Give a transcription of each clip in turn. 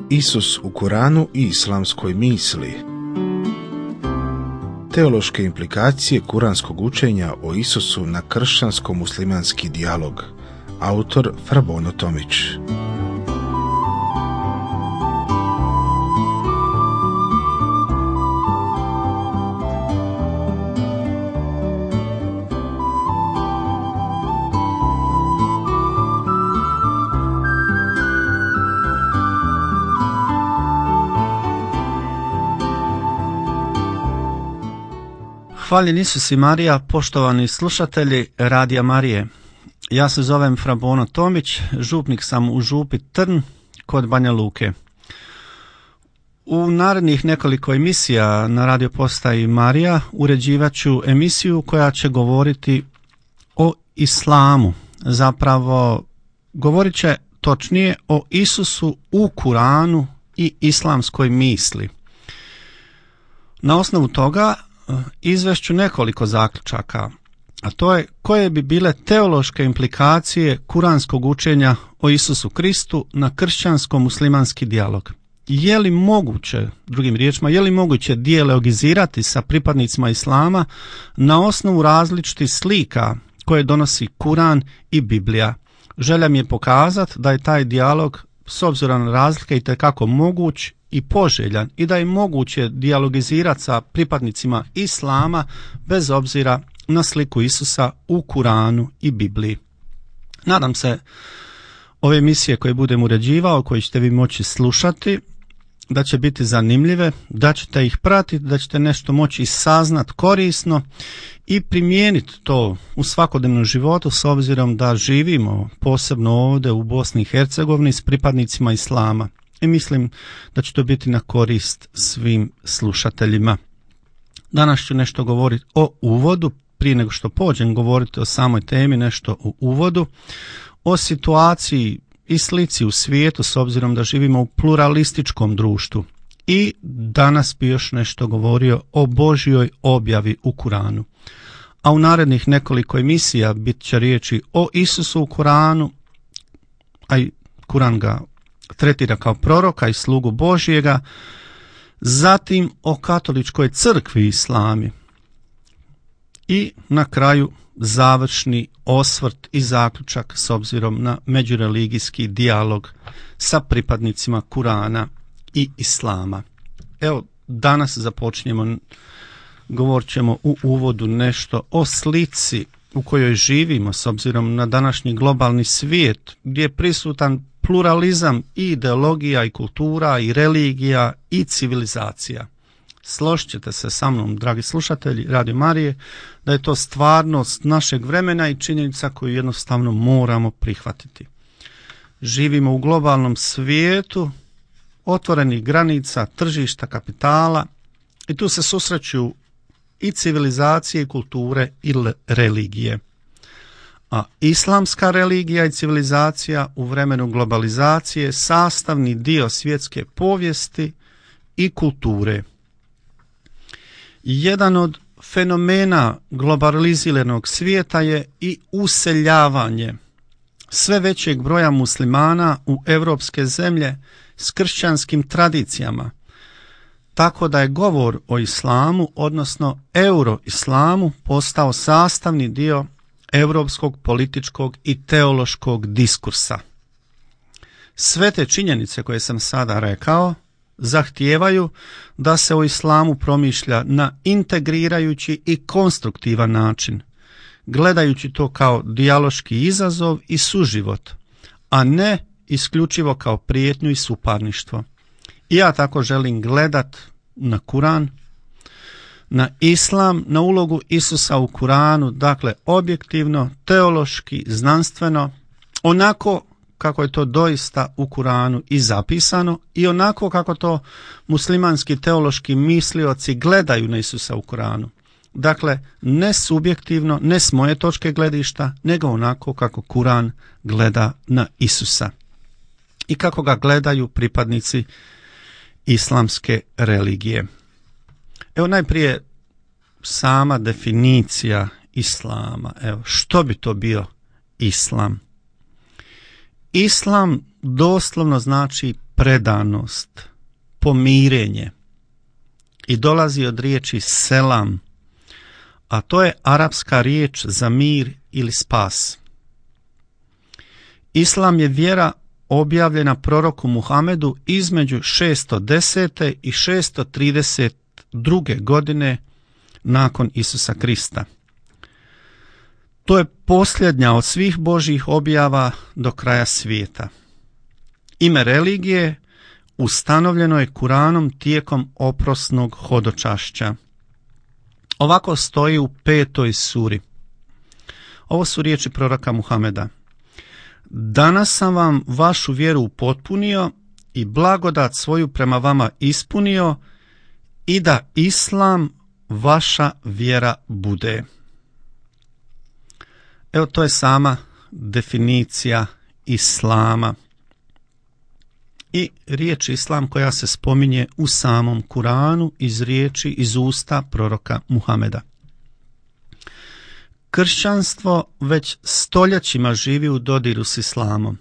Isus u Kuranu i islamskoj misli. Teološke implikacije kuranskog učenja o Isusu na kršćansko-muslimanski dijalog. Autor Frabono Tomić. Hvaljen Isus i Marija, poštovani slušatelji Radija Marije. Ja se zovem Frabono Tomić, župnik sam u župi Trn kod Banja Luke. U narednih nekoliko emisija na radio postaji Marija uređivat ću emisiju koja će govoriti o islamu. Zapravo govorit će točnije o Isusu u Kuranu i islamskoj misli. Na osnovu toga izvešću nekoliko zaključaka, a to je koje bi bile teološke implikacije kuranskog učenja o Isusu Kristu na kršćansko-muslimanski dijalog. Je li moguće, drugim riječima, je li moguće dijalogizirati sa pripadnicima islama na osnovu različitih slika koje donosi Kuran i Biblija? Želja mi je pokazati da je taj dijalog s obzirom na razlike itekako moguć i poželjan i da je moguće dijalogizirati sa pripadnicima islama bez obzira na sliku Isusa u Kuranu i Bibliji. Nadam se ove emisije koje budem uređivao, koje ćete vi moći slušati, da će biti zanimljive, da ćete ih pratiti, da ćete nešto moći saznat korisno i primijeniti to u svakodnevnom životu s obzirom da živimo posebno ovdje u Bosni i Hercegovini s pripadnicima islama. I mislim da će to biti na korist svim slušateljima. Danas ću nešto govoriti o uvodu, prije nego što pođem govoriti o samoj temi, nešto o uvodu, o situaciji i slici u svijetu s obzirom da živimo u pluralističkom društvu. I danas bi još nešto govorio o Božjoj objavi u Kuranu. A u narednih nekoliko emisija bit će riječi o Isusu u Kuranu, a i Kuran ga tretira kao proroka i slugu Božjega, zatim o katoličkoj crkvi i islami i na kraju završni osvrt i zaključak s obzirom na međureligijski dijalog sa pripadnicima Kurana i islama. Evo, danas započnemo, govorit ćemo u uvodu nešto o slici u kojoj živimo s obzirom na današnji globalni svijet gdje je prisutan pluralizam i ideologija i kultura i religija i civilizacija. Složit ćete se sa mnom, dragi slušatelji Radio Marije, da je to stvarnost našeg vremena i činjenica koju jednostavno moramo prihvatiti. Živimo u globalnom svijetu otvorenih granica, tržišta, kapitala i tu se susreću i civilizacije, i kulture i religije. A islamska religija i civilizacija u vremenu globalizacije sastavni dio svjetske povijesti i kulture. Jedan od fenomena globaliziranog svijeta je i useljavanje sve većeg broja muslimana u europske zemlje s kršćanskim tradicijama, tako da je govor o islamu, odnosno euroislamu, postao sastavni dio europskog političkog i teološkog diskursa. Sve te činjenice koje sam sada rekao zahtijevaju da se o islamu promišlja na integrirajući i konstruktivan način, gledajući to kao dijaloški izazov i suživot, a ne isključivo kao prijetnju i suparništvo. I ja tako želim gledat na Kuran, na islam, na ulogu Isusa u Kuranu, dakle objektivno, teološki, znanstveno, onako kako je to doista u Kuranu i zapisano i onako kako to muslimanski teološki mislioci gledaju na Isusa u Kuranu. Dakle, ne subjektivno, ne s moje točke gledišta, nego onako kako Kuran gleda na Isusa i kako ga gledaju pripadnici islamske religije. Evo najprije sama definicija islama. Evo, što bi to bio islam? Islam doslovno znači predanost, pomirenje i dolazi od riječi selam, a to je arapska riječ za mir ili spas. Islam je vjera objavljena proroku Muhamedu između 610. i 632. godine nakon Isusa Krista. To je posljednja od svih Božjih objava do kraja svijeta. Ime religije ustanovljeno je Kuranom tijekom oprosnog hodočašća. Ovako stoji u 5. suri. Ovo su riječi proroka Muhameda. Danas sam vam vašu vjeru upotpunio i blagodat svoju prema vama ispunio i da Islam vaša vjera bude. Evo, to je sama definicija Islama. I riječ Islam koja se spominje u samom Kuranu iz usta proroka Muhameda. Kršćanstvo već stoljećima živi u dodiru s Islamom,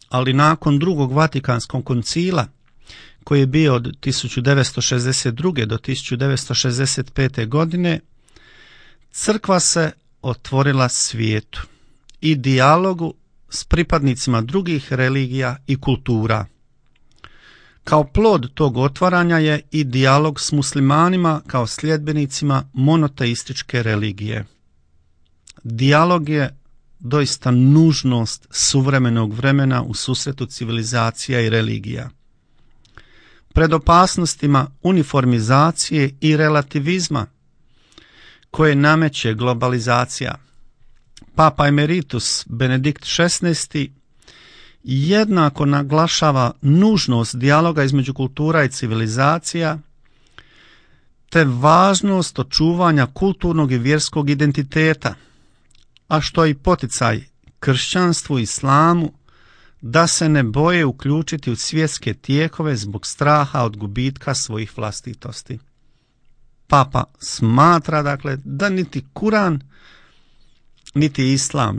ali nakon drugog Vatikanskog koncila, koji je bio od 1962. do 1965. godine, crkva se otvorila svijetu i dijalogu s pripadnicima drugih religija i kultura. Kao plod tog otvaranja je i dijalog s muslimanima kao sljedbenicima monoteističke religije. Dijalog je doista nužnost suvremenog vremena u susretu civilizacija i religija. Pred opasnostima uniformizacije i relativizma koje nameće globalizacija, Papa Emeritus Benedikt XVI jednako naglašava nužnost dijaloga između kultura i civilizacija, te važnost očuvanja kulturnog i vjerskog identiteta, a što je i poticaj kršćanstvu i islamu da se ne boje uključiti u svjetske tijekove zbog straha od gubitka svojih vlastitosti. Papa smatra, dakle, da niti Kuran, niti Islam,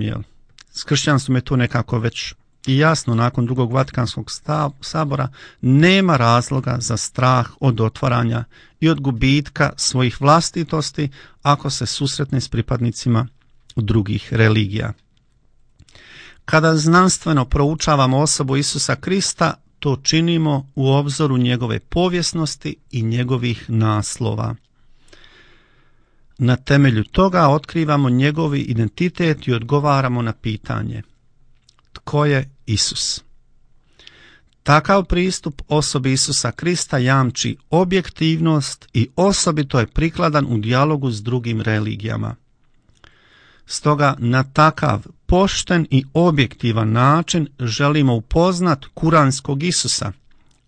s kršćanstvom je to nekako već i jasno nakon drugog Vatikanskog sabora, nema razloga za strah od otvaranja i od gubitka svojih vlastitosti ako se susretne s pripadnicima drugih religija. Kada znanstveno proučavamo osobu Isusa Krista, to činimo u obzoru njegove povijesnosti i njegovih naslova. Na temelju toga otkrivamo njegovi identitet i odgovaramo na pitanje: tko je Isus? Takav pristup osobi Isusa Krista jamči objektivnost i osobito je prikladan u dijalogu s drugim religijama. Stoga na takav pošten i objektivan način želimo upoznat kuranskog Isusa,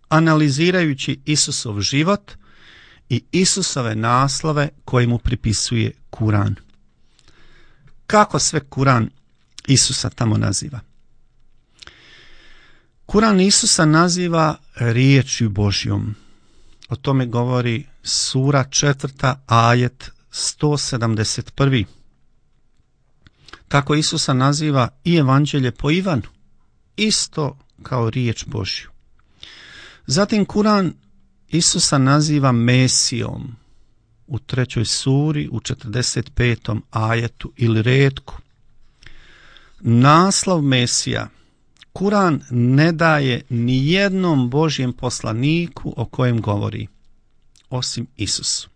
analizirajući Isusov život i Isusove naslove koje mu pripisuje Kuran. Kako sve Kuran Isusa tamo naziva? Kuran Isusa naziva riječju Božjom. O tome govori sura 4. ajet 171. Tako Isusa naziva i evanđelje po Ivanu, isto kao riječ Božju. Zatim Kuran Isusa naziva Mesijom u 3. suri u 45. ajetu ili retku. Naslov Mesija Kuran ne daje ni jednom Božjem poslaniku o kojem govori, osim Isusu.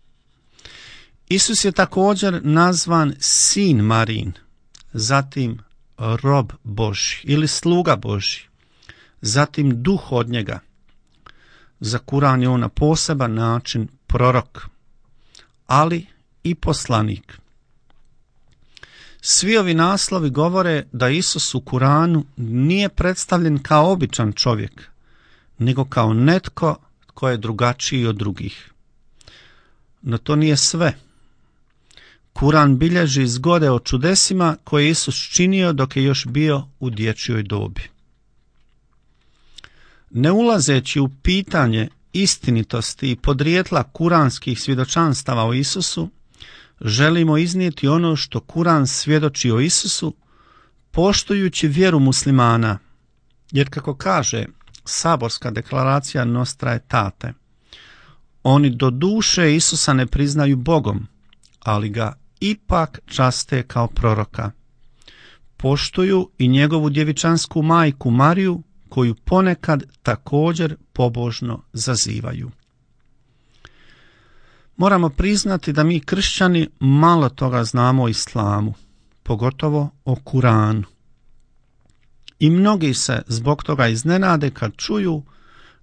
Isus je također nazvan sin Marin, zatim rob Božji ili sluga Božji, zatim duh od njega. Za Kuran je on na poseban način prorok, ali i poslanik. Svi ovi naslovi govore da Isus u Kuranu nije predstavljen kao običan čovjek, nego kao netko tko je drugačiji od drugih. No to nije sve. Kuran bilježi zgode o čudesima koje je Isus činio dok je još bio u dječjoj dobi. Ne ulazeći u pitanje istinitosti i podrijetla kuranskih svjedočanstava o Isusu, želimo iznijeti ono što Kuran svjedoči o Isusu, poštujući vjeru muslimana, jer kako kaže saborska deklaracija Nostra Aetate. Oni do duše Isusa ne priznaju Bogom, ali ga ipak časte kao proroka. Poštuju i njegovu djevičansku majku Mariju, koju ponekad također pobožno zazivaju. Moramo priznati da mi kršćani malo toga znamo o islamu, pogotovo o Kuranu. I mnogi se zbog toga iznenade kad čuju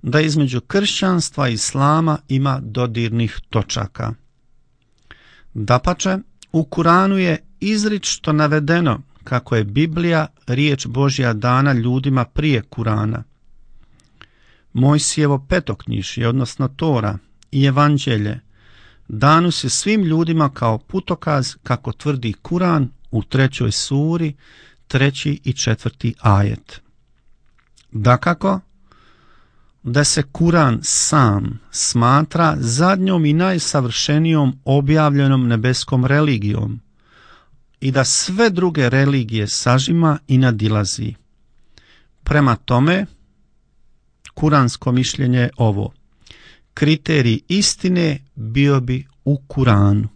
da između kršćanstva i islama ima dodirnih točaka. Dapače, u Kuranu je izričito navedeno kako je Biblija riječ Božja dana ljudima prije Kurana. Mojsijevo petoknjižje, odnosno Tora i Evanđelje, danu se svim ljudima kao putokaz, kako tvrdi Kuran u 3. suri, 3. i 4. ajet. Dakako, da se Kuran sam smatra zadnjom i najsavršenijom objavljenom nebeskom religijom i da sve druge religije sažima i nadilazi. Prema tome, kuransko mišljenje je ovo: kriterij istine bio bi u Kuranu.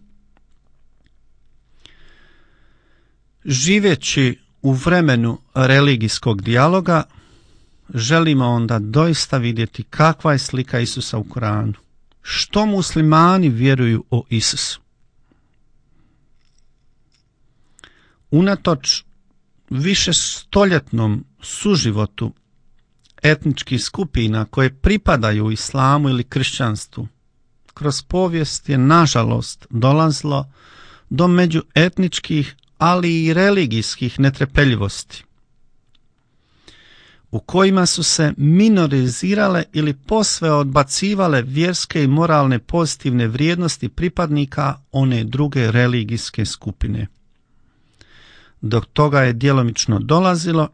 Živeći u vremenu religijskog dijaloga, želimo onda doista vidjeti kakva je slika Isusa u Kuranu. Što muslimani vjeruju o Isusu? Unatoč višestoljetnom suživotu etničkih skupina koje pripadaju islamu ili kršćanstvu, kroz povijest je nažalost dolazilo do međuetničkih, ali i religijskih netrpeljivosti, u kojima su se minorizirale ili posve odbacivale vjerske i moralne pozitivne vrijednosti pripadnika one druge religijske skupine. Dok toga je djelomično dolazilo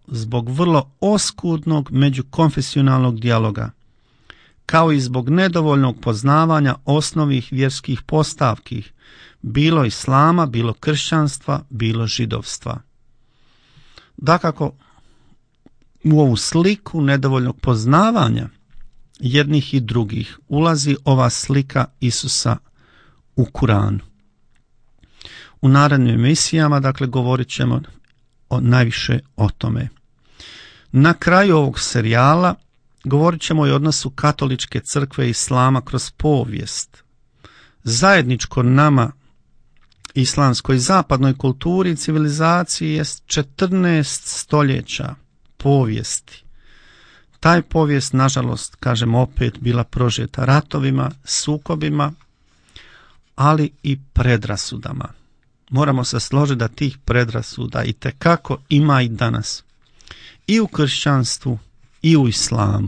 zbog vrlo oskudnog međukonfesionalnog dijaloga, kao i zbog nedovoljnog poznavanja osnovnih vjerskih postavki, bilo islama, bilo kršćanstva, bilo židovstva. Dakako, u ovu sliku nedovoljnog poznavanja jednih i drugih ulazi ova slika Isusa u Kuranu. U narednim emisijama, dakle, govorit ćemo najviše o tome. Na kraju ovog serijala govorit ćemo i o odnosu katoličke crkve i islama kroz povijest. Zajedničko nama, islamskoj zapadnoj kulturi i civilizaciji, je 14 stoljeća povijesti. Taj povijest, nažalost, kažem opet, bila prožeta ratovima, sukobima, ali i predrasudama. Moramo se složiti da tih predrasuda itekako ima i danas. I u kršćanstvu i u islamu.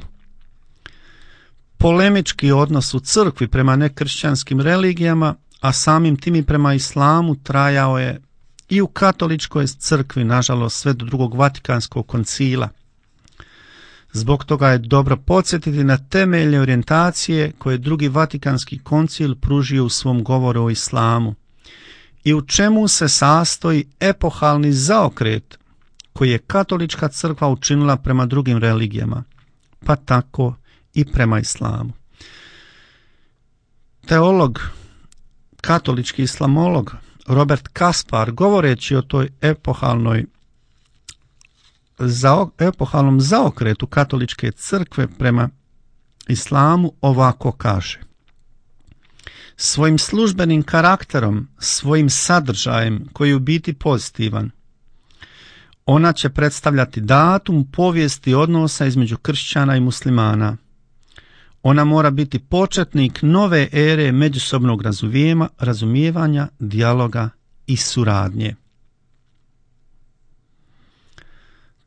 Polemički odnos u crkvi prema nekršćanskim religijama, a samim tim i prema islamu, trajao je i u katoličkoj crkvi, nažalost, sve do drugog Vatikanskog koncila. Zbog toga je dobro podsjetiti na temeljne orijentacije koje drugi Vatikanski koncil pružio u svom govoru o islamu i u čemu se sastoji epohalni zaokret koji je katolička crkva učinila prema drugim religijama, pa tako i prema islamu. Teolog, katolički islamolog Robert Kaspar, govoreći o toj epohalnom zaokretu katoličke crkve prema islamu, ovako kaže: svojim službenim karakterom, svojim sadržajem koji je u biti pozitivan, ona će predstavljati datum povijesti odnosa između kršćana i muslimana. Ona mora biti početnik nove ere međusobnog razumijevanja, dijaloga i suradnje.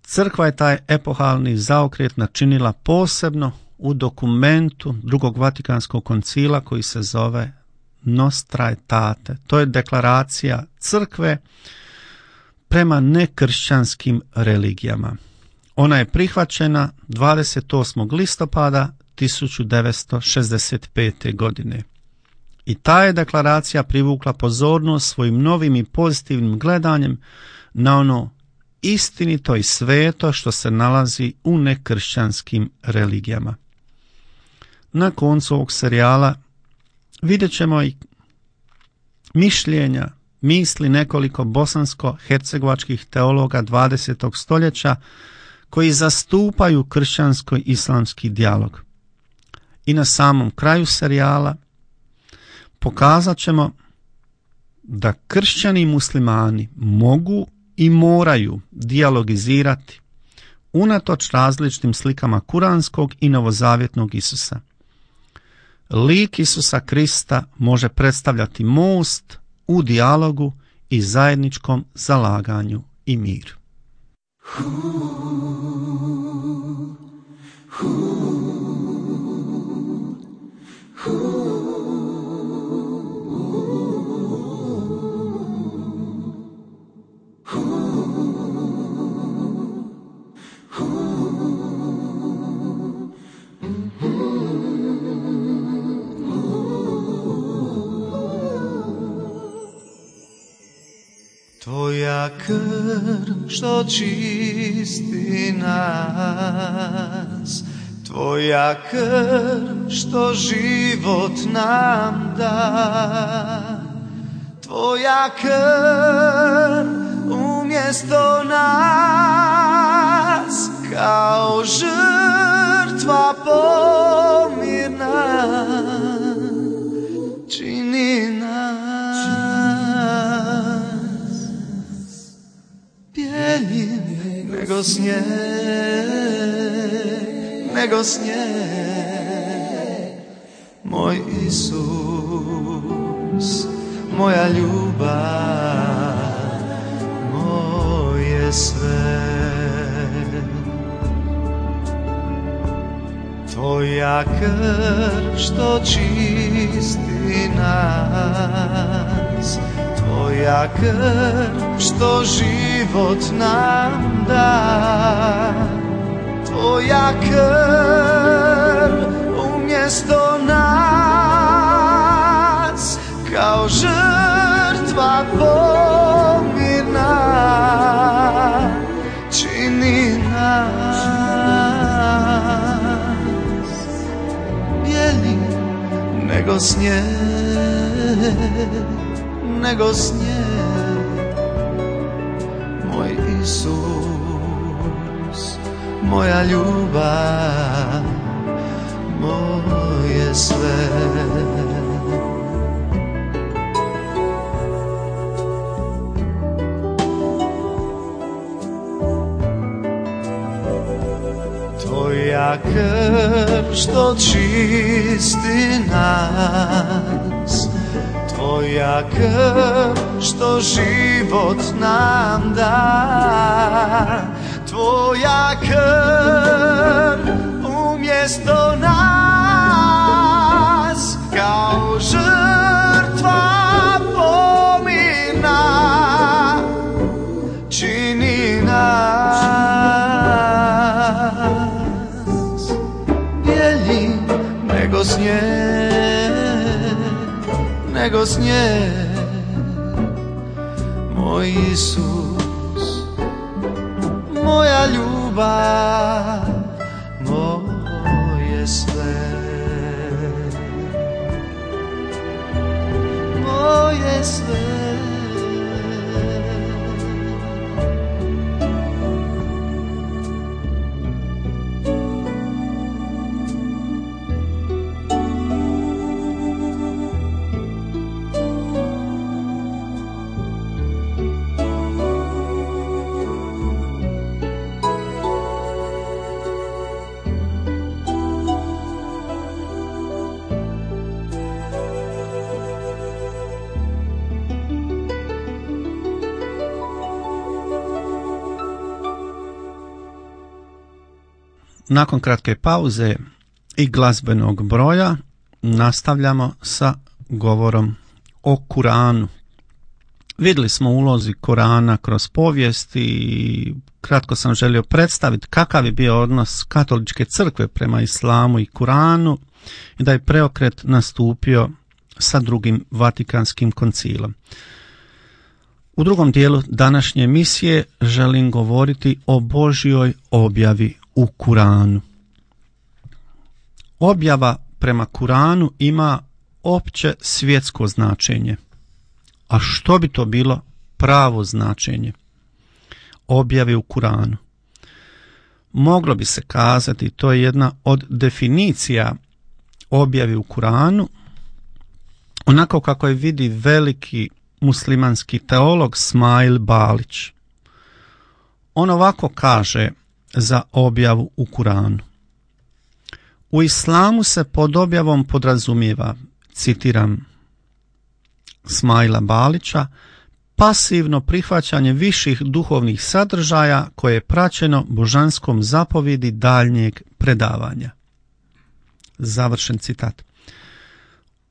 Crkva je taj epohalni zaokret načinila posebno u dokumentu drugog Vatikanskog koncila koji se zove Nostra Aetate. To je deklaracija crkve prema nekršćanskim religijama. Ona je prihvaćena 28. listopada 1965. godine. I ta je deklaracija privukla pozornost svojim novim i pozitivnim gledanjem na ono istinito i sveto što se nalazi u nekršćanskim religijama. Na koncu ovog serijala vidjet ćemo i mišljenja, misli nekoliko bosansko-hercegovačkih teologa 20. stoljeća koji zastupaju kršćansko-islamski dijalog. I na samom kraju serijala pokazat ćemo da kršćani i muslimani mogu i moraju dijalogizirati unatoč različitim slikama kuranskog i novozavjetnog Isusa. Lik Isusa Krista može predstavljati most u dijalogu i zajedničkom zalaganju i miru. Tvoja krv što čisti nas, Tvoja krv što život nam da, Tvoja krv umjesto nas kao žrtva pomirna čini nas bjeljim nego snijeg, nego snijeg. Moj Isus, moja ljubav, moje sve. Tvoja krv što čisti nas, Tvoja krv što život nam da, Tvoja krv umjesto nas kao žrtva pomirna čini nas bijeli nego snijeg, nego snijeg. Moj Isus, moja ljubav, moje sve. Tvoja krv što čisti nas, Tvoja krv što život nam da, Tvoja krv umjesto nas kao žrtva pomirna čini nas bjeljim nego snijeg, nego snijeg. Moj Isus, moja ljubav, moje sve, moje sve. Nakon kratke pauze i glazbenog broja nastavljamo sa govorom o Kuranu. Vidjeli smo ulozi Korana kroz povijest i kratko sam želio predstaviti kakav je bio odnos katoličke crkve prema islamu i Kuranu i da je preokret nastupio sa drugim Vatikanskim koncilom. U drugom dijelu današnje emisije želim govoriti o Božjoj objavi u Kuranu. Objava prema Kuranu ima opće svjetsko značenje. A što bi to bilo pravo značenje objave u Kuranu? Moglo bi se kazati, to je jedna od definicija objave u Kuranu, onako kako je vidi veliki muslimanski teolog Smail Balić. On ovako kaže za objavu u Kuranu. U islamu se pod objavom podrazumijeva, citiram Smaila Balića, pasivno prihvaćanje viših duhovnih sadržaja koje je praćeno božanskom zapovjedi daljnjeg predavanja. Završen citat.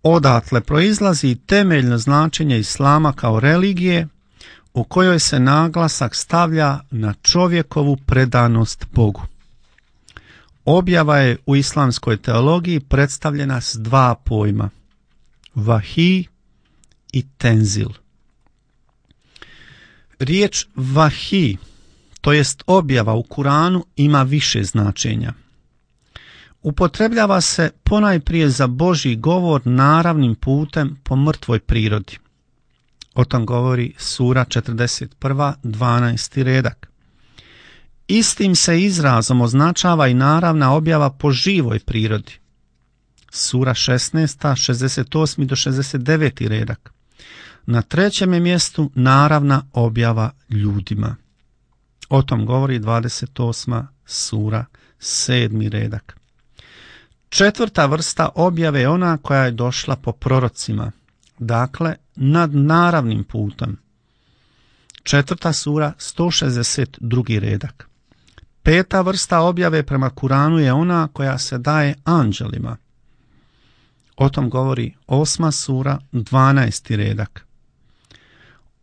Odatle proizlazi temeljno značenje islama kao religije u kojoj se naglasak stavlja na čovjekovu predanost Bogu. Objava je u islamskoj teologiji predstavljena s dva pojma, vahij i tenzil. Riječ vahij, to jest objava u Kuranu, ima više značenja. Upotrebljava se ponajprije za Božji govor naravnim putem po mrtvoj prirodi. O tom govori sura 41, 12. redak. Istim se izrazom označava i naravna objava po živoj prirodi. Sura 16, 68. do 69. redak. Na trećem je mjestu naravna objava ljudima. O tom govori 28. sura, 7. redak. Četvrta vrsta objave je ona koja je došla po prorocima, dakle nad naravnim putem. Četvrta sura, 162. redak. Peta vrsta objave prema Kuranu je ona koja se daje anđelima. O tom govori 8. sura, 12. redak.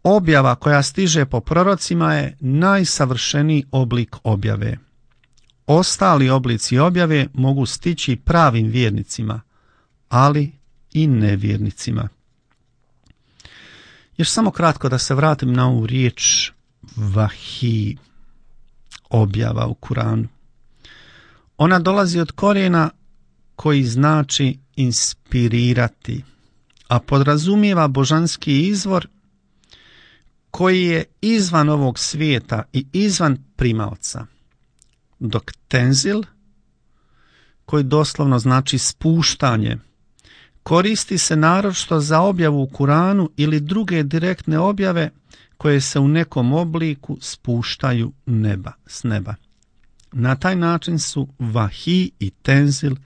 Objava koja stiže po prorocima je najsavršeniji oblik objave. Ostali oblici objave mogu stići pravim vjernicima, ali i nevjernicima. Još samo kratko da se vratim na ovu riječ vahij, objava u Kuranu. Ona dolazi od korijena koji znači inspirirati, a podrazumijeva božanski izvor koji je izvan ovog svijeta i izvan primaoca. Dok tenzil, koji doslovno znači spuštanje, koristi se naročito za objavu u Kuranu ili druge direktne objave koje se u nekom obliku spuštaju s neba. Na taj način su vahij i tenzil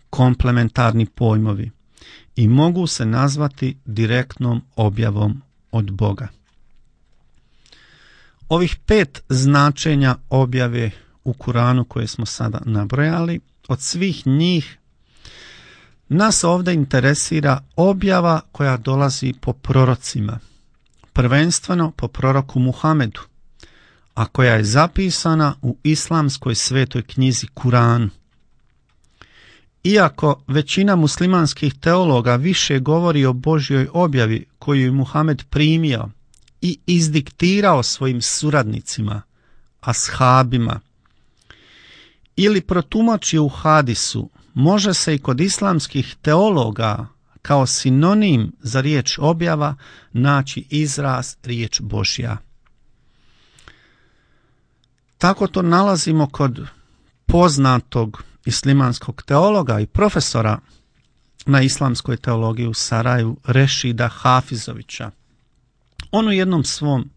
komplementarni pojmovi i mogu se nazvati direktnom objavom od Boga. Ovih 5 značenja objave u Kuranu koje smo sada nabrojali, od svih njih nas ovdje interesira objava koja dolazi po prorocima, prvenstveno po proroku Muhamedu, a koja je zapisana u islamskoj svetoj knjizi Kuran. Iako većina muslimanskih teologa više govori o Božjoj objavi koju je Muhamed primio i izdiktirao svojim suradnicima, ashabima, ili protumačio u hadisu, može se i kod islamskih teologa kao sinonim za riječ objava naći izraz riječ Božja. Tako to nalazimo kod poznatog islamskog teologa i profesora na islamskoj teologiji u Sarajevu, Rešida Hafizovića. On u jednom svom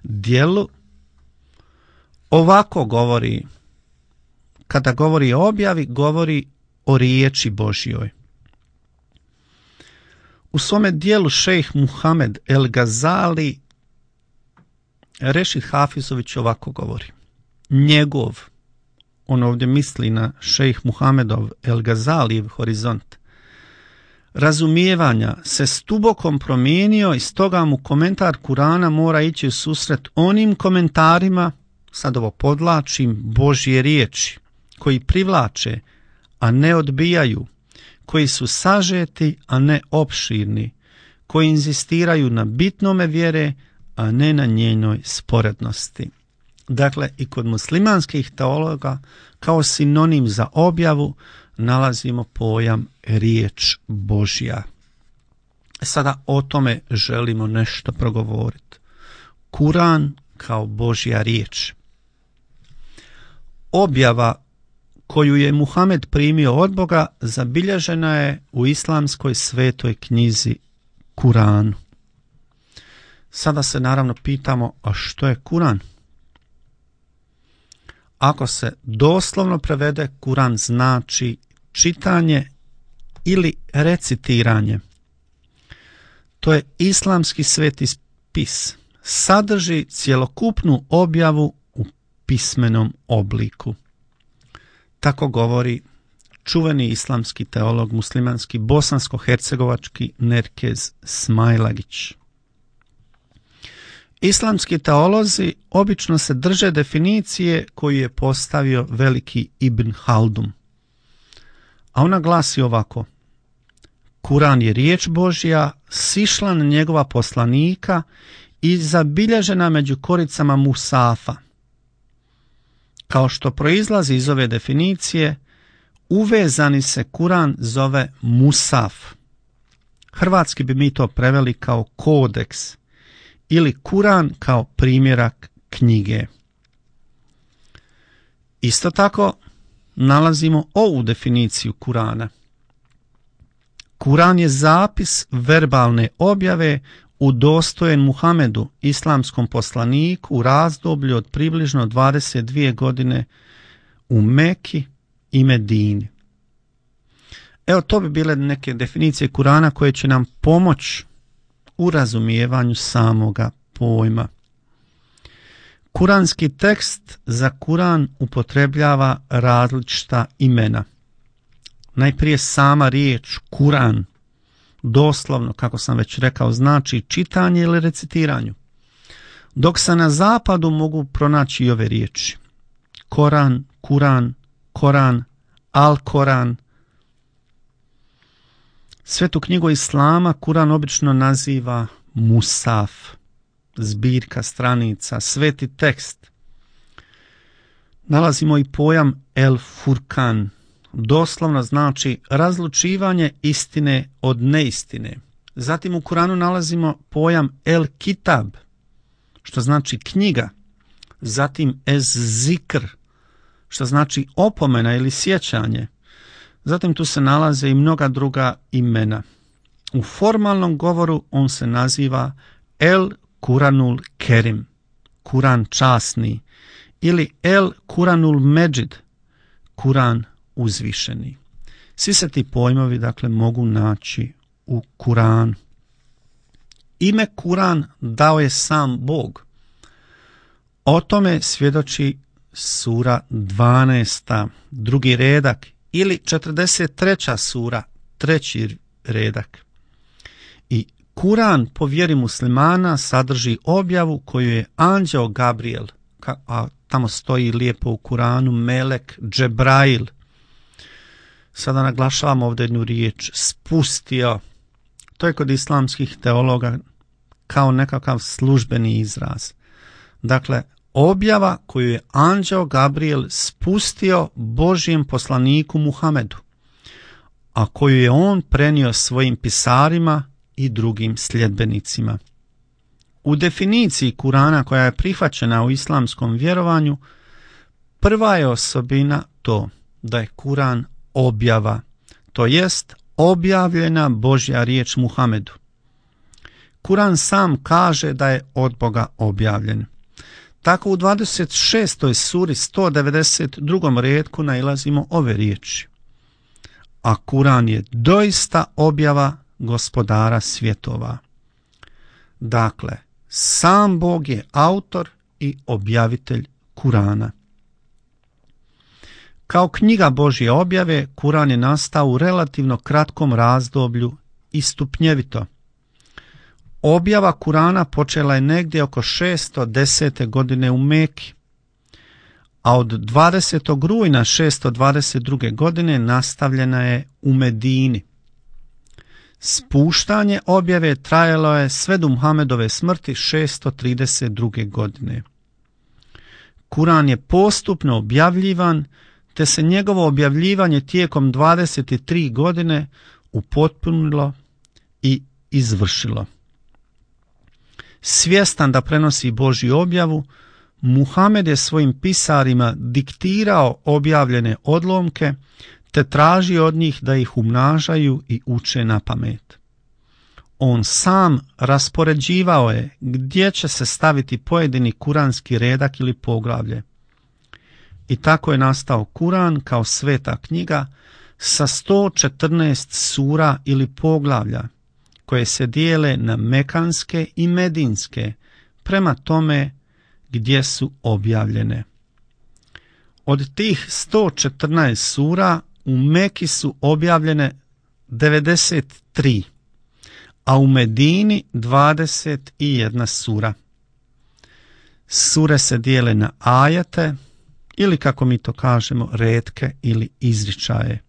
dijelu ovako govori, kada govori o objavi, govori o riječi Božjoj. U svome dijelu šejh Muhamed El Gazali, Rešid Hafizović ovako govori. Njegov, on ovdje misli na šejh Muhamedov El Gazalijev horizont, razumijevanja se stubokom promijenio i stoga mu komentar Kurana mora ići u susret onim komentarima, sad ovo podlačim, Božje riječi, koji privlače, a ne odbijaju, koji su sažeti, a ne opširni, koji inzistiraju na bitnome vjere, a ne na njenoj sporednosti. Dakle, i kod muslimanskih teologa kao sinonim za objavu nalazimo pojam riječ Božja. Sada o tome želimo nešto progovoriti. Kuran kao Božja riječ. Objava koju je Muhamed primio od Boga zabilježena je u islamskoj svetoj knjizi Kuranu. Sada se naravno pitamo, a što je Kuran? Ako se doslovno prevede, Kuran znači čitanje ili recitiranje. To je islamski sveti spis. Sadrži cjelokupnu objavu u pismenom obliku. Tako govori čuveni islamski teolog muslimanski bosansko-hercegovački Nerkez Smailagić. Islamski teolozi obično se drže definicije koju je postavio veliki Ibn Haldun. A ona glasi ovako: Kuran je riječ Božja, sišla na njegova poslanika i zabilježena među koricama Musafa. Kao što proizlazi iz ove definicije, uvezani se Kuran zove Musaf. Hrvatski bi mi to preveli kao kodeks ili Kuran kao primjerak knjige. Isto tako nalazimo ovu definiciju Kurana. Kuran je zapis verbalne objave udostojen Muhamedu, islamskom poslaniku, u razdoblju od približno 22 godine u Meki i Medini. Evo, to bi bile neke definicije Kurana koje će nam pomoći u razumijevanju samoga pojma. Kuranski tekst za Kuran upotrebljava različita imena. Najprije sama riječ Kuran, doslovno, kako sam već rekao, znači čitanje ili recitiranje. Dok se na zapadu mogu pronaći i ove riječi: Koran, Kuran, Koran, Al-Koran. Svetu knjigu Islama Kuran obično naziva Musaf, zbirka stranica, sveti tekst. Nalazimo i pojam El Furkan, doslovno znači razlučivanje istine od neistine. Zatim u Kuranu nalazimo pojam El Kitab, što znači knjiga. Zatim Ez Zikr, što znači opomena ili sjećanje. Zatim tu se nalaze i mnoga druga imena. U formalnom govoru on se naziva El Kuranul Kerim, Kuran časni, ili El Kuranul Međid, Kuran uzvišeni. Svi se ti pojmovi, dakle, mogu naći u Kuranu. Ime Kuran dao je sam Bog. O tome svjedoči sura 12. drugi redak, ili 43. sura, treći redak. I Kuran po vjeri muslimana sadrži objavu koju je anđeo Gabriel, a tamo stoji lijepo u Kuranu Melek Džebrail. Sada naglašavam ovdje jednu riječ, spustio. To je kod islamskih teologa kao nekakav službeni izraz. Dakle, objava koju je anđeo Gabriel spustio Božjem poslaniku Muhamedu, a koju je on prenio svojim pisarima i drugim sljedbenicima. U definiciji Kurana koja je prihvaćena u islamskom vjerovanju, prva je osobina to da je Kuran objava, to jest objavljena Božja riječ Muhamedu. Kuran sam kaže da je od Boga objavljen. Tako u 26. suri 192. retku nailazimo ove riječi: a Kuran je doista objava gospodara svjetova. Dakle, sam Bog je autor i objavitelj Kurana. Kao knjiga Božje objave, Kuran je nastao u relativno kratkom razdoblju i stupnjevito. Objava Kurana počela je negdje oko 610. godine u Meki, a od 20. rujna 622. godine nastavljena je u Medini. Spuštanje objave trajalo je sve do Muhamedove smrti 632. godine. Kuran je postupno objavljivan, te se njegovo objavljivanje tijekom 23 godine upotpunilo i izvršilo. Svjestan da prenosi Božju objavu, Muhamed je svojim pisarima diktirao objavljene odlomke, te tražio od njih da ih umnažaju i uče na pamet. On sam raspoređivao je gdje će se staviti pojedini kuranski redak ili poglavlje. I tako je nastao Kuran kao sveta knjiga sa 114 sura ili poglavlja, koje se dijele na mekanske i medinske, prema tome gdje su objavljene. Od tih 114 sura u Meki su objavljene 93, a u Medini 21 sura. Sure se dijele na ajete, ili kako mi to kažemo, retke ili izričaje,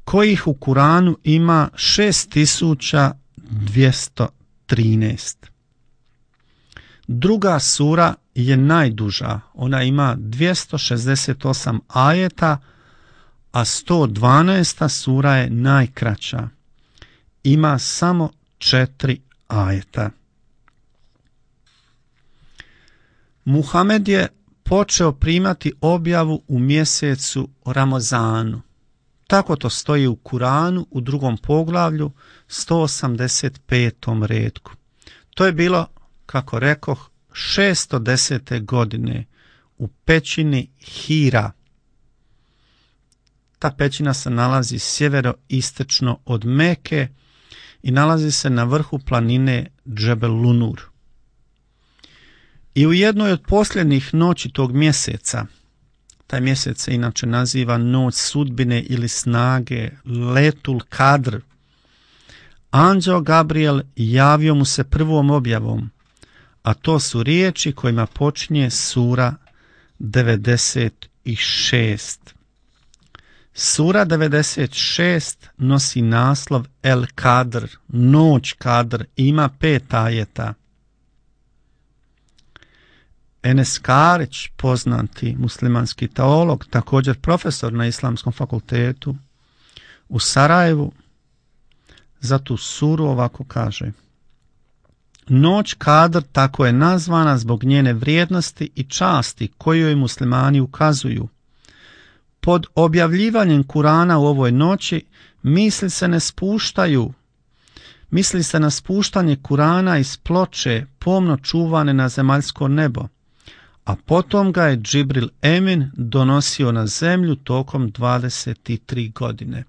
kojih u Kuranu ima 6213. Druga sura je najduža, ona ima 268 ajeta, a 112. sura je najkraća, ima samo 4 ajeta. Muhamed je počeo primati objavu u mjesecu Ramazanu. Tako to stoji u Kuranu u 2. poglavlju 185. retku. To je bilo, kako rekoh, 610. godine u pećini Hira. Ta pećina se nalazi sjeveroistočno od Meke i nalazi se na vrhu planine Džebel Lunur. I u jednoj od posljednjih noći tog mjeseca, taj mjesec se inače naziva noć sudbine ili snage, Letul Kadr, anđeo Gabriel javio mu se prvom objavom, a to su riječi kojima počinje sura 96. Sura 96 nosi naslov El Kadr, noć Kadr, ima 5 ajeta. Enes Karić, poznati muslimanski teolog, također profesor na Islamskom fakultetu u Sarajevu, za tu suru ovako kaže: Noć Kadr tako je nazvana zbog njene vrijednosti i časti koju joj muslimani ukazuju. Pod objavljivanjem Kurana u ovoj noći misli se na spuštanje Kurana iz ploče pomno čuvane na zemaljsko nebo, a potom ga je Džibril Emin donosio na zemlju tokom 23 godine.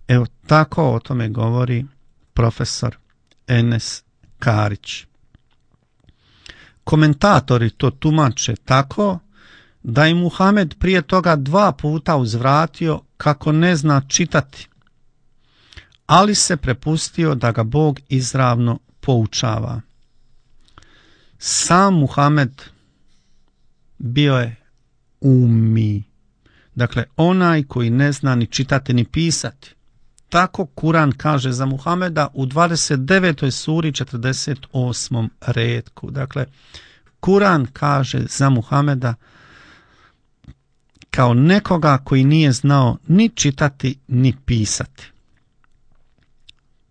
Evo tako o tome govori profesor Enes Karić. Komentatori to tumače tako da je Muhamed prije toga 2 puta uzvratio kako ne zna čitati, ali se prepustio da ga Bog izravno poučava. Sam Muhamed bio je ummi, dakle onaj koji ne zna ni čitati ni pisati. Tako Kuran kaže za Muhameda u 29. suri 48. retku. Dakle, Kuran kaže za Muhameda kao nekoga koji nije znao ni čitati ni pisati.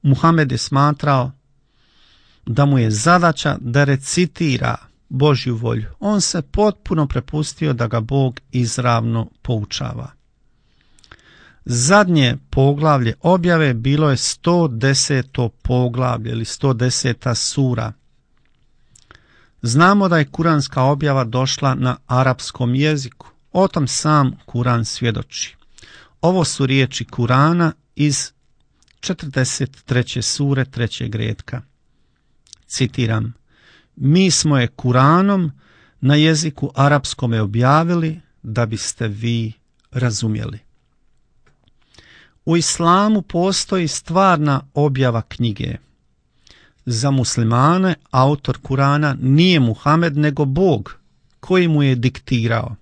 Muhamed je smatrao da mu je zadaća da recitira Božju volju. On se potpuno prepustio da ga Bog izravno poučava. Zadnje poglavlje objave bilo je 110. poglavlje ili 110. sura. Znamo da je kuranska objava došla na arapskom jeziku. O tom sam Kuran svjedoči. Ovo su riječi Kurana iz 43. sure 3. retka. Citiram: Mi smo je Kuranom na jeziku arapskome objavili da biste vi razumjeli. U islamu postoji stvarna objava knjige. Za muslimane autor Kurana nije Muhamed nego Bog koji mu je diktirao.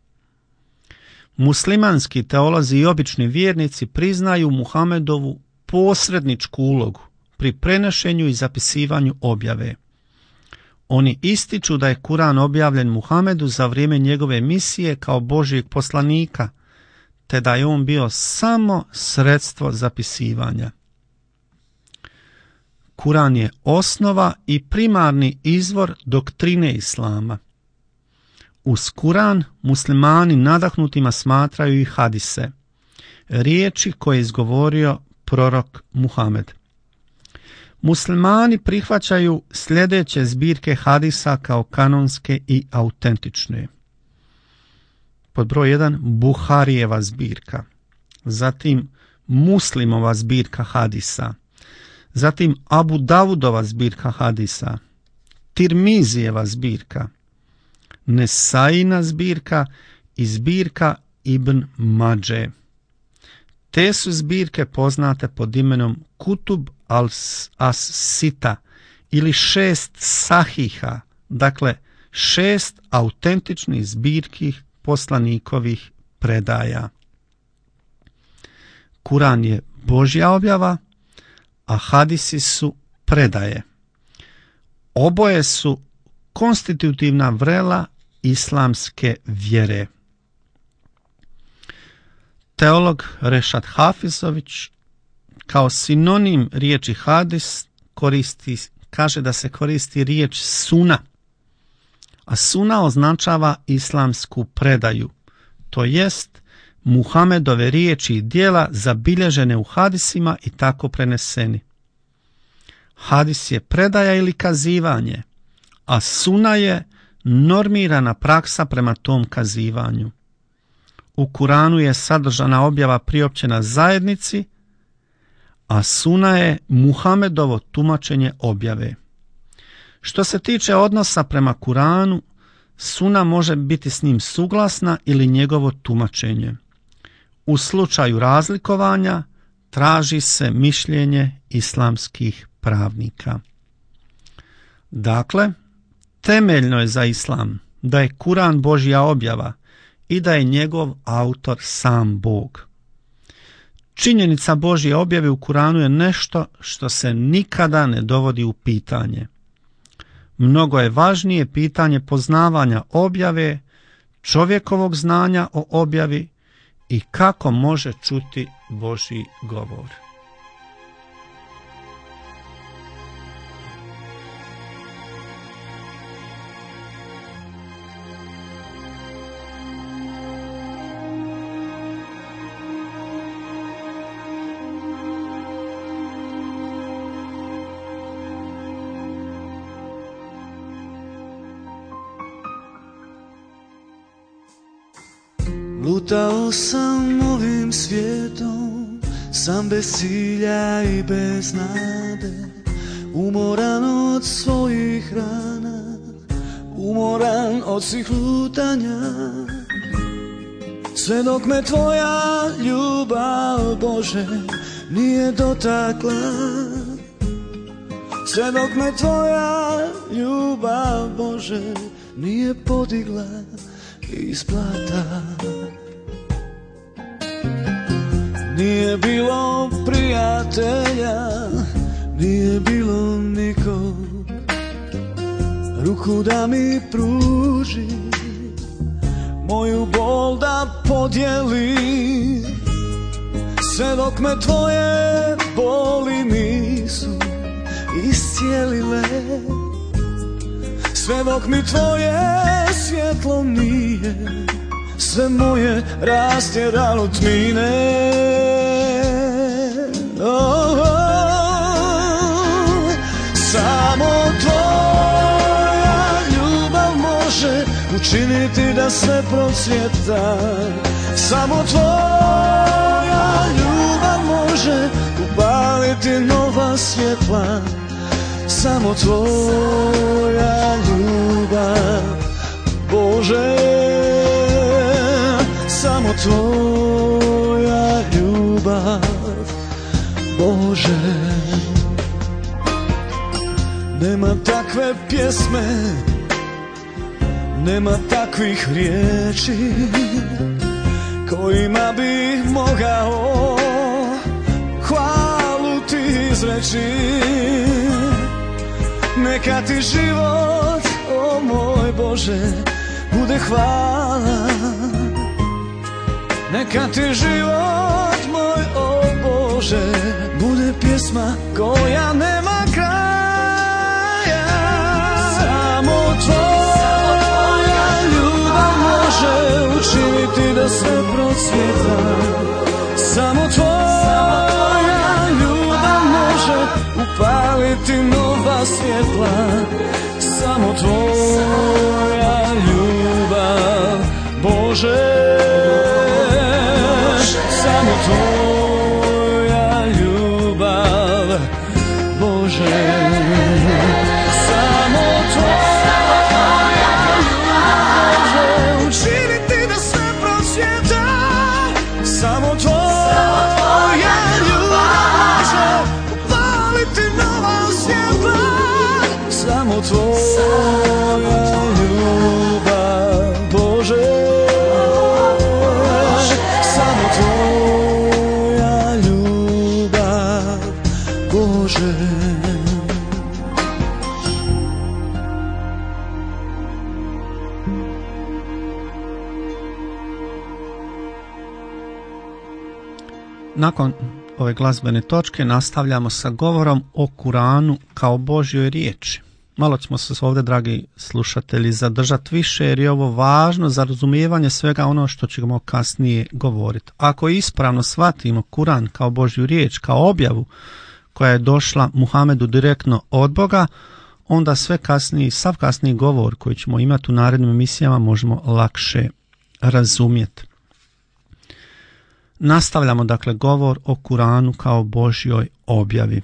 Muslimanski teolozi i obični vjernici priznaju Muhamedovu posredničku ulogu, pri prenošenju i zapisivanju objave. Oni ističu da je Kuran objavljen Muhamedu za vrijeme njegove misije kao Božjeg poslanika, te da je on bio samo sredstvo zapisivanja. Kuran je osnova i primarni izvor doktrine Islama. Uz Kuran muslimani nadahnutima smatraju i hadise, riječi koje je izgovorio prorok Muhamed. Muslimani prihvaćaju sljedeće zbirke hadisa kao kanonske i autentične. Pod broj 1 Buharijeva zbirka, zatim Muslimova zbirka hadisa, zatim Abu Davudova zbirka hadisa, Tirmizijeva zbirka, Nesaina zbirka i zbirka Ibn Mađe. Te su zbirke poznate pod imenom Kutub as-Sita ili 6 sahiha, dakle 6 autentičnih zbirki poslanikovih predaja. Kuran je Božja objava, a hadisi su predaje. Oboje su konstitutivna vrela islamske vjere. Teolog Rešad Hafizović kao sinonim riječi hadis kaže da se koristi riječ suna, a suna označava islamsku predaju, to jest Muhamedove riječi i djela zabilježene u hadisima i tako preneseni. Hadis je predaja ili kazivanje, a suna je normirana praksa prema tom kazivanju. U Kuranu je sadržana objava priopćena zajednici, a suna je Muhamedovo tumačenje objave. Što se tiče odnosa prema Kuranu, suna može biti s njim suglasna ili njegovo tumačenje. U slučaju razlikovanja traži se mišljenje islamskih pravnika. Dakle, temeljno je za islam da je Kuran Božja objava i da je njegov autor sam Bog. Činjenica Božje objave u Kuranu je nešto što se nikada ne dovodi u pitanje. Mnogo je važnije pitanje poznavanja objave, čovjekovog znanja o objavi i kako može čuti Božji govor. Lutao sam ovim svijetom, sam bez cilja i bez nade, umoran od svojih rana, umoran od svih lutanja. Sve dok me tvoja ljubav, Bože, nije dotakla, sve dok me tvoja ljubav, Bože, nije podigla iz blata. Nije bilo prijatelja, nije bilo nikog, ruku da mi pruži, moju bol da podijeli. Sve dok me tvoje boli nisu iscijelile, sve dok mi tvoje svjetlo nije sve moje rastjeralo tmine. Samo tvoja ljubav može učiniti da sve procvjeta. Samo tvoja ljubav može upaliti nova svjetla. Samo tvoja ljubav, Bože, samo tvoja ljubav, Bože. Nema takve pjesme, nema takvih riječi kojima bih mogao hvalu ti sreći. Neka ti život, o moj Bože, bude hvala. Neka ti život moj, o Bože, bude pjesma koja nema kraja. Samo tvoja ljubav može učiniti da sve procvjeta. Samo tvoja ljubav može upaliti nova svjetla. Samo tvoja ljubav, Bože, samo tvoja ljubav, Bože, samo tvoja ljubav može učiniti da sve procvjeta. Samo tvoja ljubav može upaliti nova svjetla. Samo tvoja ljubav, Bože, samo tvoja ljubav, Bože. Nakon ove glazbene točke nastavljamo sa govorom o Kuranu kao Božjoj riječi. Malo ćemo se ovdje, dragi slušatelji, zadržati više jer je ovo važno za razumijevanje svega ono što ćemo kasnije govoriti. Ako ispravno shvatimo Kuran kao Božju riječ, kao objavu koja je došla Muhamedu direktno od Boga, onda sav kasniji govor koji ćemo imati u narednim emisijama možemo lakše razumjeti. Nastavljamo dakle govor o Kuranu kao Božjoj objavi.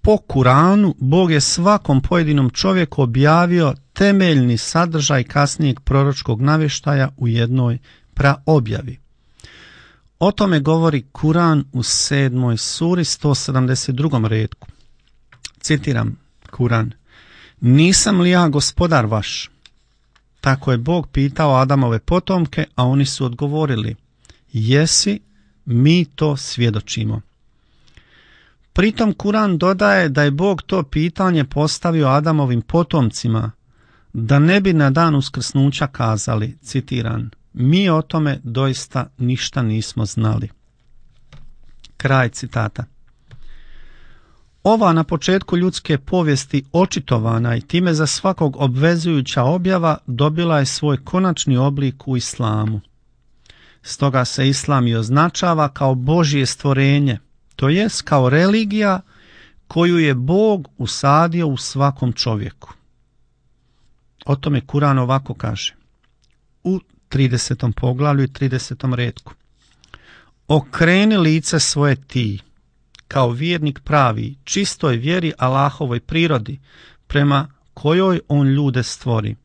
Po Kuranu Bog je svakom pojedinom čovjeku objavio temeljni sadržaj kasnijeg proročkog navještaja u jednoj praobjavi. O tome govori Kuran u 7. suri 172. retku. Citiram Kuran: Nisam li ja gospodar vaš? Tako je Bog pitao Adamove potomke, a oni su odgovorili: Jesi, mi to svjedočimo. Pritom Kuran dodaje da je Bog to pitanje postavio Adamovim potomcima, da ne bi na dan uskrsnuća kazali, citiram: Mi o tome doista ništa nismo znali. Kraj citata. Ova na početku ljudske povijesti očitovana i time za svakog obvezujuća objava dobila je svoj konačni oblik u islamu. Stoga se islam i označava kao Božje stvorenje, to jest kao religija koju je Bog usadio u svakom čovjeku. O tome Kuran ovako kaže u 30. poglavlju i 30. retku: Okreni lice svoje ti, kao vjernik pravi, čistoj vjeri Allahovoj prirodi, prema kojoj on ljude stvori.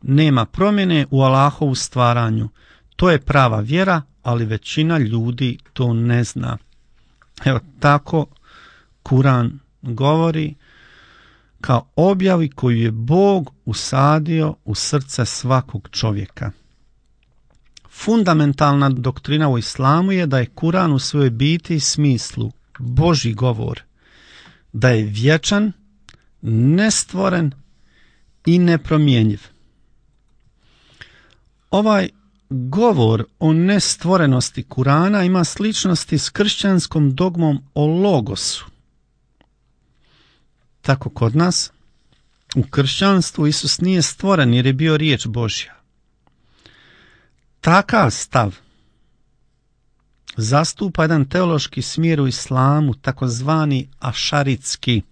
Nema promjene u Allahovu stvaranju. To je prava vjera, ali većina ljudi to ne zna. Evo tako Kuran govori kao objavi koju je Bog usadio u srce svakog čovjeka. Fundamentalna doktrina u islamu je da je Kuran u svojoj biti i smislu Božji govor, da je vječan, nestvoren i nepromjenjiv. Ovaj govor o nestvorenosti Kurana ima sličnosti s kršćanskom dogmom o logosu. Tako kod nas, u kršćanstvu Isus nije stvoren jer je bio riječ Božja. Takav stav zastupa jedan teološki smjer u islamu, takozvani ašaritski,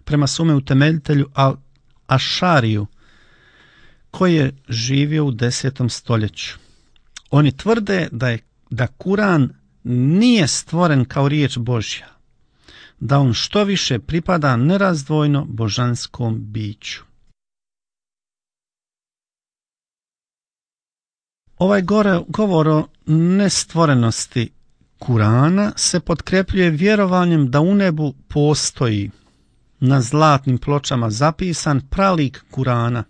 prema svome utemeljitelju Al-Ašariju, koji je živio u 10. stoljeću. Oni tvrde da Kuran nije stvoren kao riječ Božja, da on što više pripada nerazdvojno božanskom biću. Ovaj govor o nestvorenosti Kurana se potkrepljuje vjerovanjem da u nebu postoji na zlatnim pločama zapisan pralik Kurana,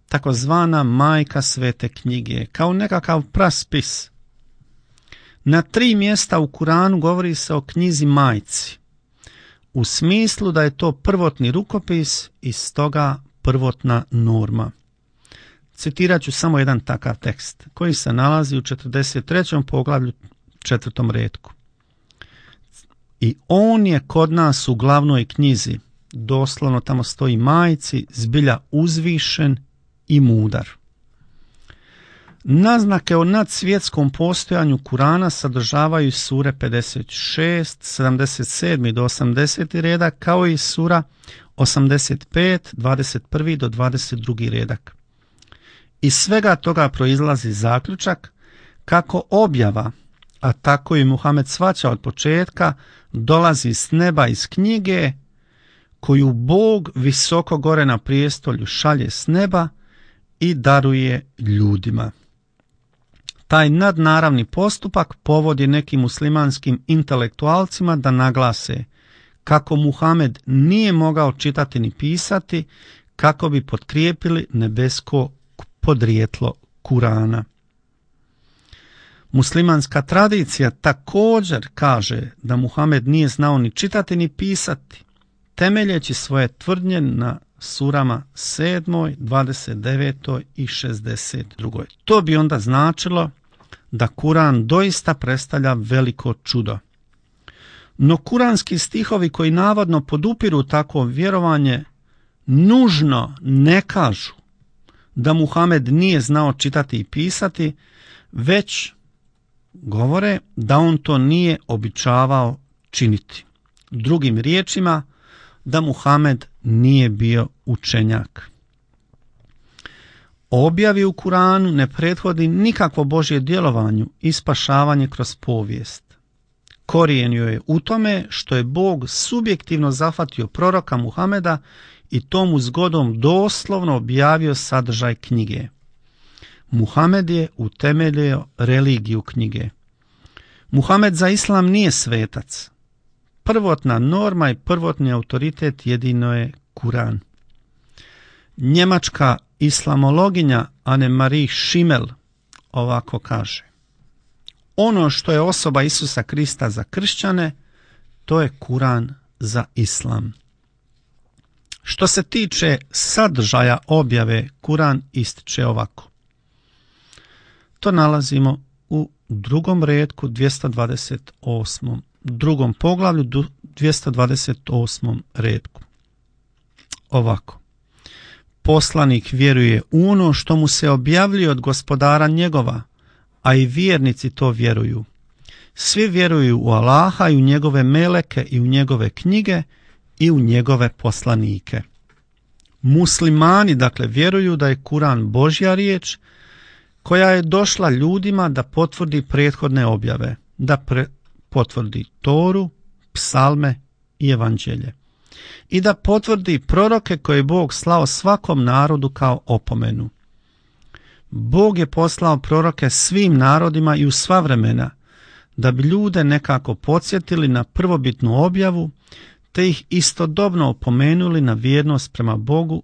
takozvana majka svete knjige, kao nekakav praspis. Na 3 mjesta u Kuranu govori se o knjizi majci. u smislu da je to prvotni rukopis i stoga prvotna norma. Citirat ću samo jedan takav tekst koji se nalazi u 43. poglavlju 4. retku. I on je kod nas u glavnoj knjizi, doslovno tamo stoji majci, zbilja uzvišen i mudar. Naznake o nadsvjetskom postojanju Kurana sadržavaju sure 56, 77 do 80 redak, kao i sura 85, 21 do 22 redak. Iz svega toga proizlazi zaključak kako objava, a tako i Muhamed shvaća od početka, dolazi s neba iz knjige koju Bog visoko gore na prijestolju šalje s neba i daruje ljudima. Taj nadnaravni postupak povodi nekim muslimanskim intelektualcima da naglase kako Muhamed nije mogao čitati ni pisati kako bi potkrijepili nebesko podrijetlo Kurana. Muslimanska tradicija također kaže da Muhamed nije znao ni čitati ni pisati, temeljeći svoje tvrdnje na surama 7., 29. i 62. To bi onda značilo da Kuran doista predstavlja veliko čudo. No kuranski stihovi koji navodno podupiru takvo vjerovanje nužno ne kažu da Muhamed nije znao čitati i pisati, već govore da on to nije običavao činiti. Drugim riječima, da Muhamed nije bio učenjak. Objavi u Kuranu ne prethodi nikakvo Božje djelovanju i spašavanje kroz povijest. Korijen joj je u tome što je Bog subjektivno zahvatio proroka Muhameda i tomu zgodom doslovno objavio sadržaj knjige. Muhamed je utemeljio religiju knjige. Muhamed za islam nije svetac. Prvotna norma i prvotni autoritet jedino je Kuran. Njemačka islamologinja Annemarie Schimmel ovako kaže: ono što je osoba Isusa Krista za kršćane, to je Kuran za islam. Što se tiče sadržaja objave, Kuran ističe ovako. To nalazimo u 2. retku 228. drugom poglavlju 228. retku. Ovako. Poslanik vjeruje u ono što mu se objavljuje od gospodara njegova, a i vjernici to vjeruju. Svi vjeruju u Allaha i u njegove meleke i u njegove knjige i u njegove poslanike. Muslimani dakle vjeruju da je Kuran Božja riječ koja je došla ljudima da potvrdi prethodne objave, da potvrdi Toru, psalme i evanđelje i da potvrdi proroke koje je Bog slao svakom narodu kao opomenu. Bog je poslao proroke svim narodima i u sva vremena da bi ljude nekako podsjetili na prvobitnu objavu te ih istodobno opomenuli na vjernost prema Bogu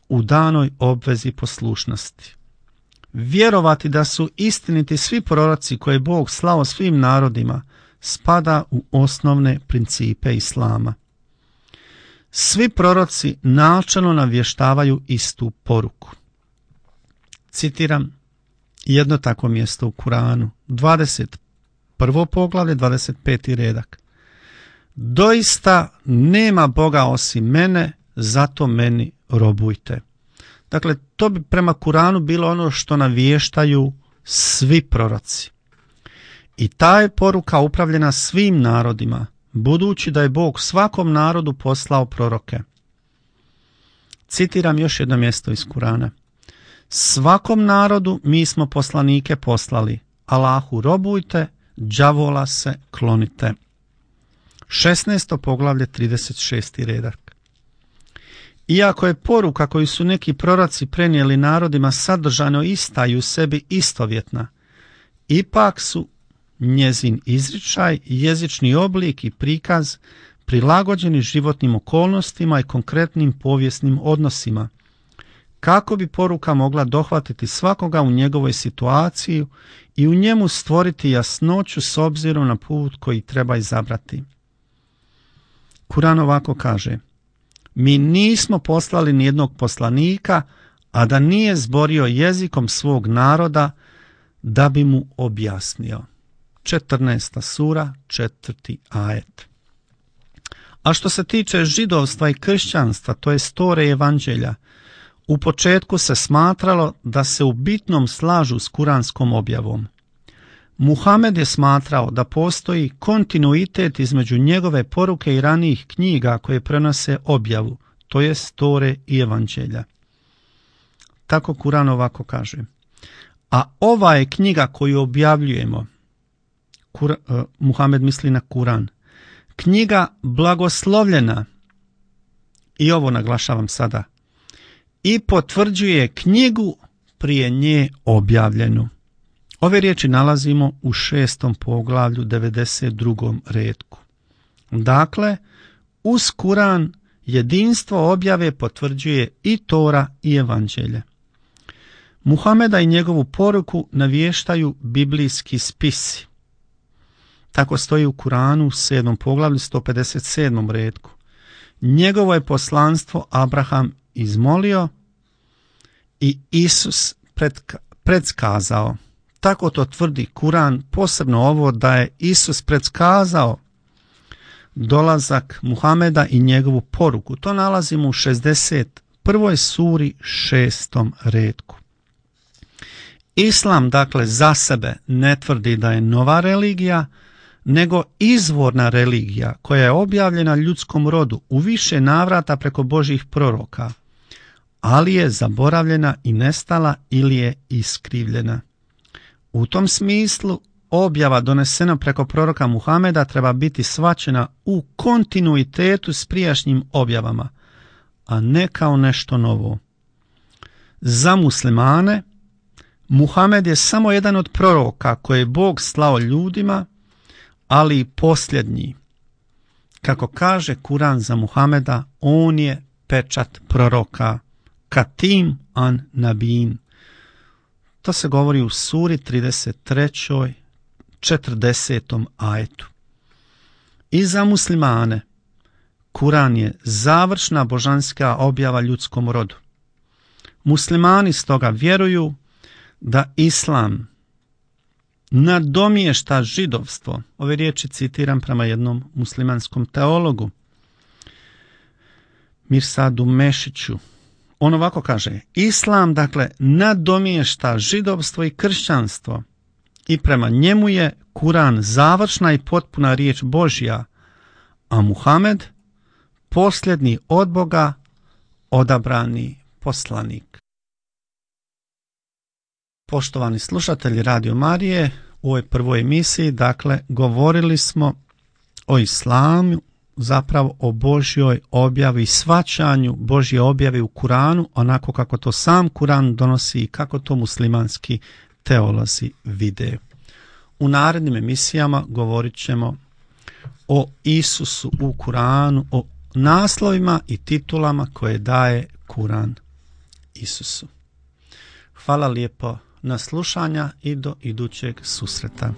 u danoj obvezi poslušnosti. Vjerovati da su istiniti svi proroci koje je Bog slao svim narodima spada u osnovne principe islama. Svi proroci načelno navještavaju istu poruku. Citiram jedno takvo mjesto u Kuranu, 21. poglavlje, 25. redak. Doista nema Boga osim mene, zato meni robujte. Dakle, to bi prema Kuranu bilo ono što navještaju svi proroci. I ta je poruka upravljena svim narodima, budući da je Bog svakom narodu poslao proroke. Citiram još jedno mjesto iz Kurana. Svakom narodu mi smo poslanike poslali, Allahu robujte, đavola se klonite. 16. poglavlje, 36. redak. Iako je poruka koju su neki proroci prenijeli narodima sadržano ista i u sebi istovjetna, ipak su njezin izričaj, jezični oblik i prikaz prilagođeni životnim okolnostima i konkretnim povijesnim odnosima, kako bi poruka mogla dohvatiti svakoga u njegovoj situaciji i u njemu stvoriti jasnoću s obzirom na put koji treba izabrati. Kuran ovako kaže: mi nismo poslali nijednog poslanika, a da nije zborio jezikom svog naroda da bi mu objasnio. 14. sura, 4. ajet. A što se tiče židovstva i kršćanstva, to je Tore i Evanđelja, u početku se smatralo da se u bitnom slažu s kuranskom objavom. Muhamed je smatrao da postoji kontinuitet između njegove poruke i ranijih knjiga koje prenose objavu, to je Tore i Evanđelja. Tako Kuran ovako kaže: a ova je knjiga koju objavljujemo, Muhamed misli na Kuran, knjiga blagoslovljena, i ovo naglašavam sada, i potvrđuje knjigu prije nje objavljenu. Ove riječi nalazimo u 6. poglavlju 92. retku. Dakle, uz Kuran jedinstvo objave potvrđuje i Tora i Evanđelje. Muhameda i njegovu poruku navještaju biblijski spisi. Tako stoji u Kuranu u 7. poglavlju 157. retku. Njegovo je poslanstvo Abraham izmolio i Isus predskazao. Tako to tvrdi Kuran, posebno ovo da je Isus predskazao dolazak Muhameda i njegovu poruku. To nalazimo u 61. suri 6. retku. Islam, dakle, za sebe ne tvrdi da je nova religija, nego izvorna religija koja je objavljena ljudskom rodu u više navrata preko Božjih proroka, ali je zaboravljena i nestala ili je iskrivljena. U tom smislu objava donesena preko proroka Muhameda treba biti shvaćena u kontinuitetu s prijašnjim objavama, a ne kao nešto novo. Za muslimane, Muhamed je samo jedan od proroka koje je Bog slao ljudima, ali i posljednji. Kako kaže Kuran za Muhameda, on je pečat proroka, Katim an Nabin. To se govori u suri 33. 40. ajetu. I za muslimane, Kuran je završna božanska objava ljudskom rodu. Muslimani stoga vjeruju da Islam nadomješta židovstvo. Ove riječi citiram prema jednom muslimanskom teologu, Mirsadu Mešiću. On ovako kaže: Islam, dakle, nadomješta židovstvo i kršćanstvo i prema njemu je Kuran završna i potpuna riječ Božja, a Muhamed posljednji od Boga odabrani poslanik. Poštovani slušatelji Radio Marije, u ovoj prvoj emisiji, dakle, govorili smo o islamu, zapravo o Božjoj objavi i shvaćanju Božje objave u Kuranu, onako kako to sam Kuran donosi i kako to muslimanski teolozi vide. U narednim emisijama govorit ćemo o Isusu u Kuranu, o naslovima i titulama koje daje Kuran Isusu. Hvala lijepo na slušanja i do idućeg susreta.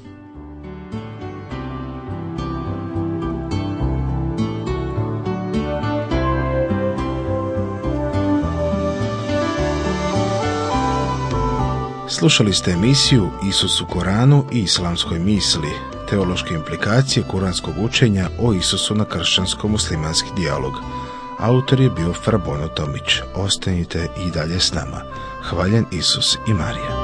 Slušali ste emisiju Isus u Koranu i islamskoj misli, teološke implikacije kuranskog učenja o Isusu na kršćansko-muslimanski dijalog. Autor je bio Frabono Tomić. Ostanite i dalje s nama. Hvaljen Isus i Marija.